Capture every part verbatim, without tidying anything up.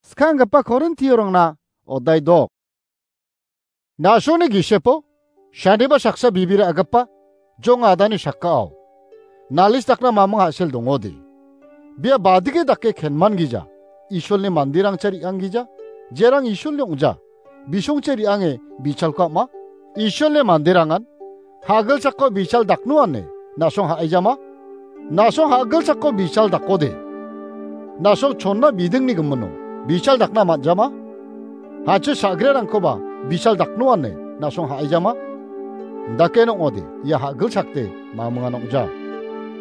Skanggipa Korintiorangna odai dok. Na·songni gisepo, saniba saksa bibir a·gipa, jong adani sakao. Nalis dakna mamung a·sel dongode. Bia badike dake kenman gija, Isolni mandirangcha re·anggija, jerang Isolni ong·ja, bisongcha re·ange bichalko ama, Isolni manderangan, ha·gilsako bichal daknoane, na·song ha·aijama? Na·song ha·gilsako bichal dakode. Na·song chonna bidingni gimino, bichal dakna man·jama? Hachi sagrerangkoba bichal daknoane, na·song ha·aijama? Dake nong·ode, ia ha·gilsakde, mamungan ong·ja.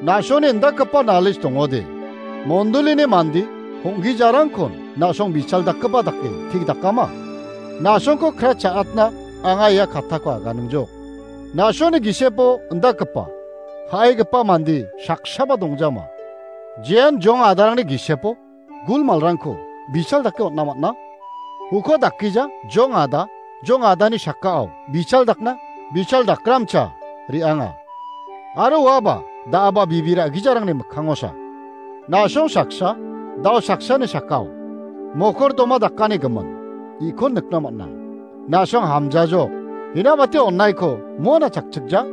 Na·songni indakgipa nalis dongode. Mondolini mandi, hong·gijarangkon, na·song bichal dakgipa dake, tik dakama? Na·songko kra cha·atna, anga ia katako aganingjok. Na·songni gisepo indakgipa, ha·aigipa mande saksaba dongjama. Jean jong adarangni gisepo gulmalrangko bichal dake on·na man·a. Uko dakgija jong ada, jong adani sakao bichal dakna, bichal dakramcha re·anga. Aro uaba da·aba bibir a·gijarangni mikkangosa. Na·song saksa, dao saksani sakao, mokordoma dakani gimin, ikon nikna man·a. Na·song hamjajok, hinamate onnaiko moana chakchikja,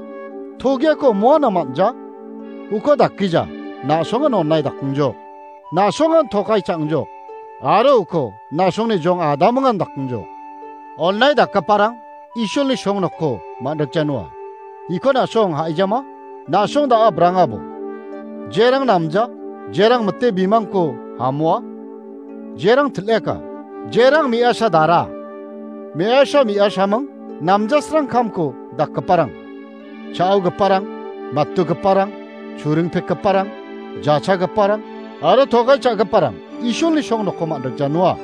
togiako moana man·ja, uko dakgija, na·songan onnai dakongjok, na·songan tokai cha·angjok, aro uko na·songni jong adamongan dakongjok. Onnai dakgiparang, Isolni song nokko man·rikja noa. Iko na·song ha·ijama, na·song da·a brangabo. Jerang namja, jerang mite bimangko hamoa. Jerang til·eka, jerang me·asa dara. Me·asa me·asaming, namjasrang kamko dakgiparang. Cha·ogiparang, mattogiparang, churing pekgiparang, jachagiparang, aro togai cha·giparang, Isolni song nokko man·rikja noa.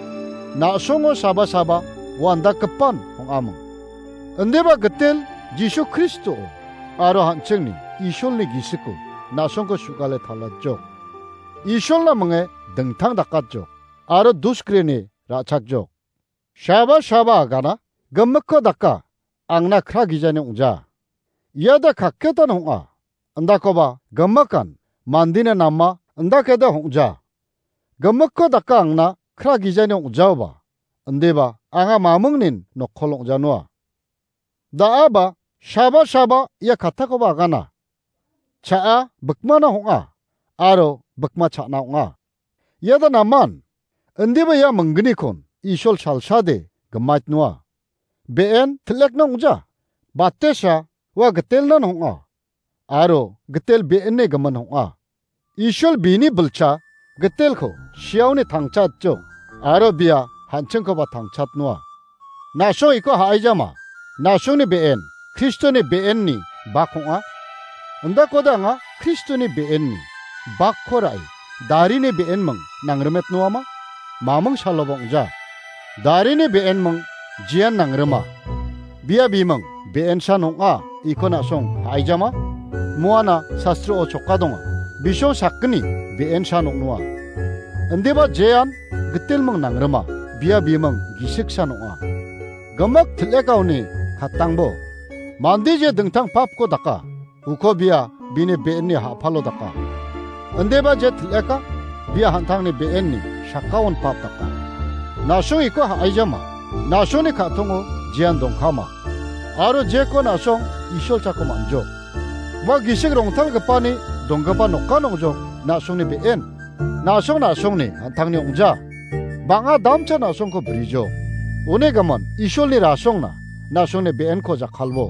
Na·songo saba saba, uandakgipan ong·aming. Indiba gitel Jisu Kristo aro an·chingni Isolni gisiko na·songko su·gale palatjok. Isolna minge dingtang dakatjok aro dusgreni ra·chakjok. Shaba shaba agana gimikko daka angna kra gijani ong·ja. Iada kakketan ong·a, indakoba gimikan mandina nama indakeda ong·ja. Gimikko daka angna kra gijani ong·jaoba, indiba anga mamingnin nokkol ong·janoa. Da·aba shaba shaba ia kattakoba agana. Cha·a bikmana ong·a, aro bikma cha·na ong·a. Iada naman, indiba ia minggnikon Isol salsade gimaitnoa. Be·en til·ekna ong·ja, batesa ua gitelnan ong·a, aro gitel be·ene gimin ong·a. Isol bini bilcha gitelko siaoni tangchatjok, aro bia an·chingkoba tangchatnoa. Na·song iko ha·aijama, na·songni be·en Kristoni be·enni bak ong·a. Indakode anga Kristoni be·enni bakko ra·e darini be·enming nangrimetnoama? Maming saloba ong·ja. Darini be·enming jean nangrima. Bia biming be·ensan ong·a, iko na·song ha·aijama? Moana sastro-o choka donga. Bisong sakgni be·ensan ong·noa. Indiba jean gitilming nangrima, bia biming gisiksan ong·a. Gimik til·ekaoni katangbo. Mande je dingtang papko daka, uko bia bini be·enni ha·palo daka. Indiba je til·eka, bia an·tangni be·enni sakkaon pap daka. Na·song iko ha·aijama, na·songni ka·tongo jean dongkama. Aro jeko na·song Isol chako man·jok. Ua gisik rongtalgipani donggipa nokan ong·jok na·songni be·en. Na·song na·songni an·tangni ong·ja. Bang·a damcha na·songko brijok. Uni gimin Isolni rasongna na·songni be·enko jakkalbo.